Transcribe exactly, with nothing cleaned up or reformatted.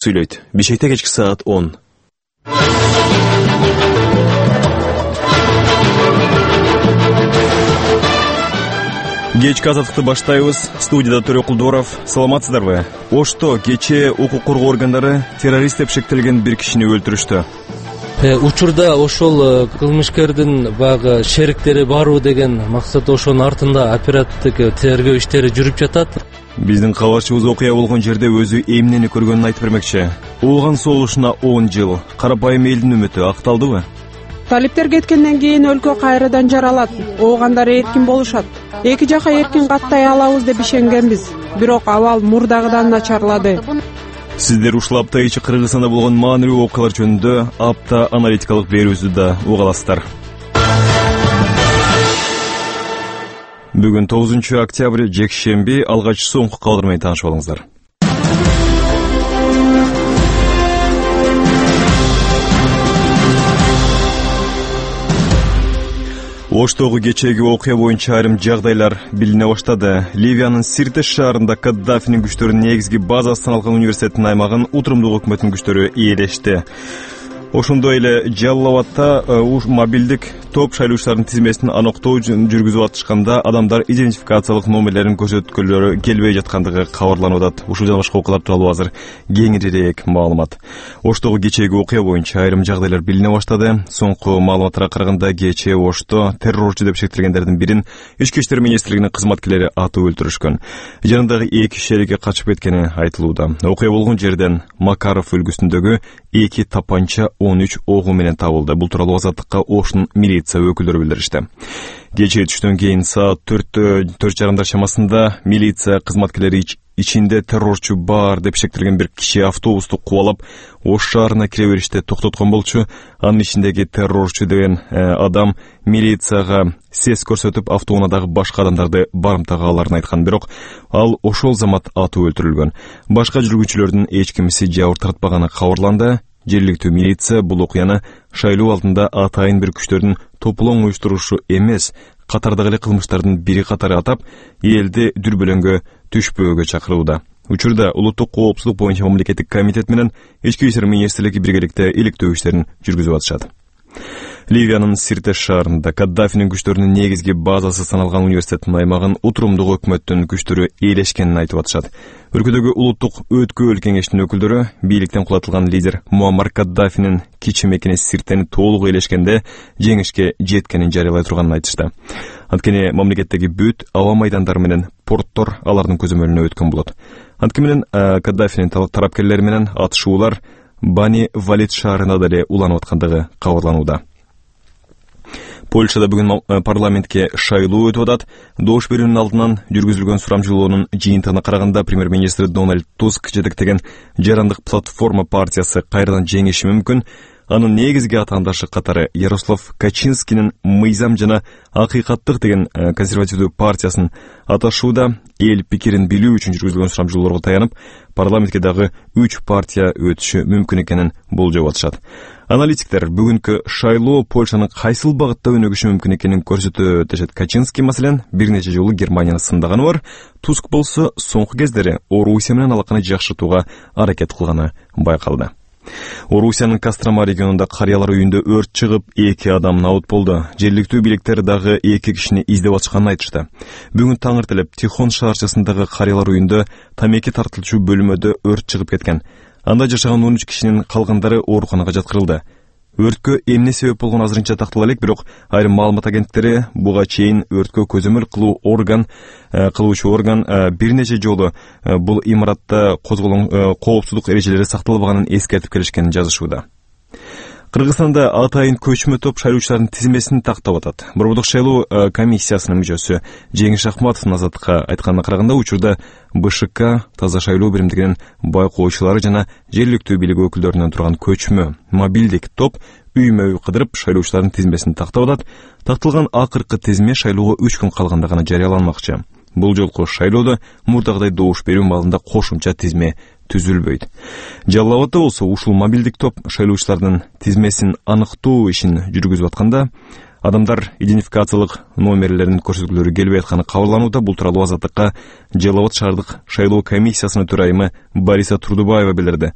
Сүйлөйт. Бишкекте кечки саат он. Кечки азаттыкты баштайбыз. Студияда Төрө Кулдоров. Саламатсыздарбы? Ошто кечээ укук коргоо органдары террорист деп шектелген бир кишини өлтүрүштү. Учурда ошол кылмышкердин баягы шериктери барбы деген максат, ошонун артында оперативдик тергөө иштери жүрүп жатат. Биздин кабарчыбыз окуя болгон жерде өзү эмнени көргөнүн айтып бермекчи. Ооган соолушуна он жыл. Карапайым элдин үмүтү акталдыбы? Талиптер кеткенден кийин өлкө кайрадан жаралат. Оогандар эркин болушат. Эки жака эркин каттай алабыз деп ишенгенбиз. Бирок абал мурдагыдан начарлады. Сиздер ушул апта ичи Кыргызстанда болгон маанилүү окуялар жөнүндө апта аналитикалык берүүбүздү да уга аласыздар. Бүгүн тогузунчу октябрь жекшемби, алгач соңку кабар менен таанышып алыңыздар. Оштогу кечээги окуя боюнча айрым жагдайлар билине баштады. Ливиянын Сирте шаарында Каддафинин күчтөрүнүн негизги базасы саналган университеттин аймагын утурумдуу өкмөттүн күчтөрү ээлешти. Ошондой эле Жаллабадта мобилдик топ шайлоочулардын тизмесин аныктоо жүргүзүп атышканда адамдар идентификациялык номерлерин көрсөткөлөрү келбей жаткандыгы кабарланып атат. Ушул жана башка окуялар тууралуу азыр кеңирээк маалымат. Оштогу кечээги окуя боюнча айрым жагдайлар билине баштады. Соңку маалыматтарга караганда кечээ Ошто террорчу деп шектелгендердин бирин Ички иштер министрлигинин кызматкерлери атып өлтүрүшкөн. Жанындагы эки шериги качып кеткени айтылууда. Окуя болгон жерден Макаров үлгүсүндөгү эки тапанча он үч огу менен табылды. Бул тууралуу Азаттыкка Ошнун милиция өкүлдөрү билдиришти. Кечээ түштөн кийин саат төрттө төрт жарымдар чамасында милиция кызматкерлери ичинде террорчу бар деп шектелген бир киши автобусту кубалап Ош шаарына кире бериште токтоткон болчу. Анын ичиндеги террорчу деген адам милицияга сес көрсөтүп автоунаадагы башка адамдарды барымтага аларын айткан, бирок ал ошол замат атып өлтүрүлгөн. Башка жүргүнчүлөрдүн эч кимиси жабыр тартпаганы кабарланды. Жергиликтүү милиция бул окуяны шайлоо алдында атайын бир күчтөрдүн топлоң уюштурушу эмес, катардагы эле кылмыштардын бири катары атап, элди дүрбөлөңгө түшпөөгө чакырууда. Учурда улуттук коопсуздук боюнча мамлекеттик комитет менен Ички иштер министрлиги биргеликте иликтөө иштерин жүргүзүп атышат. Ливиянын Сирте шаарында Каддафинин күчтөрүнүн негизги базасы саналган университеттин аймагын утурумдуу өкмөттүн күчтөрү ээлешкенин айтып атышат. Өлкөдөгү улуттук өткүл кеңештин өкүлдөрү бийликтен кулатылган лидер Муаммар Каддафинин кичи мекени Сиртени толук ээлешкенде жеңишке жеткенин жарыялай турганын айтышты. Анткени мамлекеттеги бүт аба майдандары менен порттор алардын көзөмөлүнө өткөн болот. Анткени менен Каддафинин тарапкерлери менен атышуулар Бани Валид шаарында деле уланып аткандыгы кабарланууда. Польшада бүгүн парламентке шайлоо өтүп атат. Добуш берүүнүн алдынан жүргүзүлгөн сурамжылоонун жыйынтыгына караганда премьер-министр Дональд Туск жетектеген Жарандык платформа партиясы кайрадан жеңиши мүмкүн. Анын негизги атаандашы катары Ярослав Качинскинин Мыйзам жана акыйкаттык деген консервативдүү партиясын аташууда. Эл пикирин билүү үчүн жүргүзүлгөн сурамжылоорго таянып, парламентке дагы үч партия өтүшү мүмкүн экенин болжоп атышат. Аналитиктер бүгүнкү шайлоо Польшанын кайсыл багытта өнүгүшү мүмкүн экенин көрсөтөт дешет. Качинский маселен бир нече жолу Германияны сындаганы бар. Туск болсо соңку кездери Орусия менен алаканы жакшыртууга аракет кылганы байкалды. Орусиянын Кострома регионунда карыялар үйүндө өрт чыгып, эки адам набыт болду. Жергиликтүү бийликтер дагы эки кишини издеп атышканын айтышты. Бүгүн таңертелеп Тихон шаарчасындагы карыялар үйүндө тамеки тартылчу бөлмөдө өрт чыгып кеткен. Анда жашаган он үч кишинин калгандары ооруканага жаткырылды. Өрткө эмне себеп болгону азырынча тактала элек, бирок айрым маалымат агенттиктери буга чейин өрткө көзөмөл кылуу орган кылуучу орган бир нече жолу бул имаратта козголгон коопсуздук эрежелери сакталбаганын эскертип келишкенин жазышууда. Кыргызстанда атайын көчмө топ шайлоочулардын тизмесин тактап атат. Борбордук шайлоо комиссиясынын мүчөсү Жеңиш Акматовдун Азаттыкка айтканына караганда, учурда БШК таза шайлоо биримдигинин байкоочулары жана жергиликтүү бийлик өкүлдөрүнөн турган көчмө мобилдик топ үймө-үй кыдырып шайлоочулардын тизмесин тактап атат. Такталган акыркы тизме шайлоого үч күн калганда гана жарыяланмакчы. Бул жолку шайлоодо мурдагыдай добуш берүү маалында кошумча тизме түзүлбөйт. Жаллабадда болсо ушул мобилдик топ шайлоочулардын тизмесин аныктоо ишин жүргүзүп атканда, Адамдар идентификациялык номерлерин көрсөткүлөрү келбей атканы кабарланууда. Бул тууралуу Азаттыкка Жалал Абад шаардык шайлоо комиссиясынын төрайымы Бариса Турдубаева билдирди.